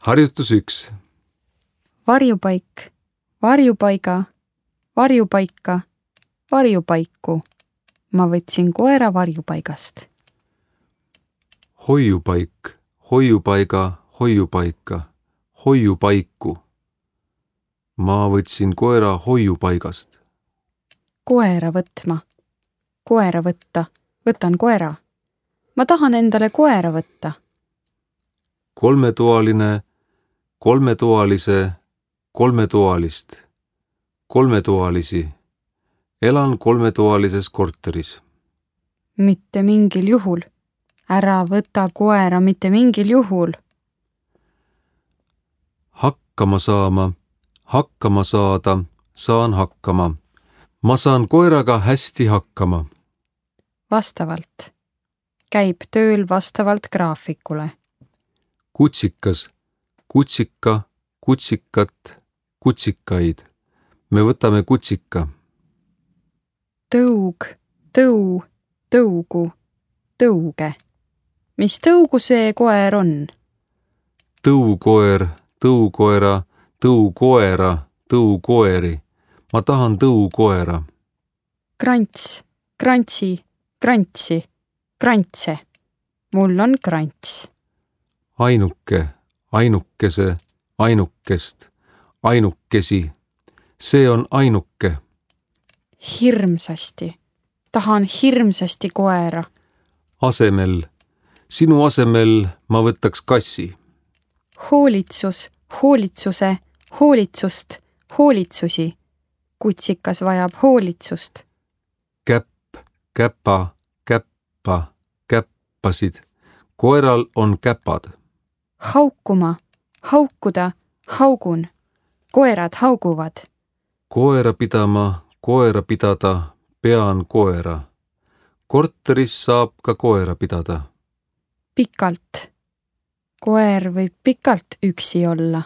Harjutus 1. Varjupaik, varjupaiga, varjupaika, varjupaiku. Ma võtsin koera varjupaigast. Hoiupaik, hoiupaiga, hoiupaika, hoiupaiku. Ma võtsin koera hoiupaigast. Koera võtma, koera võtta, võtan koera. Ma tahan endale koera võtta. Kolmetoaline, kolmetoalise, kolmetoalist, kolmetoalisi. Elan kolmetoalises korteris. Mitte mingil juhul. Ära võta koera mitte mingil juhul. Hakkama saama, hakkama saada, saan hakkama. Ma saan koeraga hästi hakkama. Vastavalt. Käib tööl vastavalt graafikule. Kutsikas, kutsika, kutsikat, kutsikaid. Me võtame kutsika. Tõug, tõu, tõugu, tõuge. Mis tõugu see koer on? Tõukoer, tõukoera, tõukoera, tõukoeri. Ma tahan tõukoera. Krants, krantsi, krantsi, krantse. Mul on krants. Ainuke, ainukese, ainukest, ainukesi. See on ainuke. Hirmsasti. Tahan hirmsasti koera. Asemel. Sinu asemel ma võtaks kassi. Hoolitsus, hoolitsuse, hoolitsust, hoolitsusi. Kutsikas vajab hoolitsust. Käpp, käpa, käppa, käppasid. Koeral on käpad. Haukuma, haukuda, haugun. Koerad hauguvad. Koera pidama, koera pidada, pean koera. Korteris saab ka koera pidada. Pikalt. Koer võib pikalt üksi olla.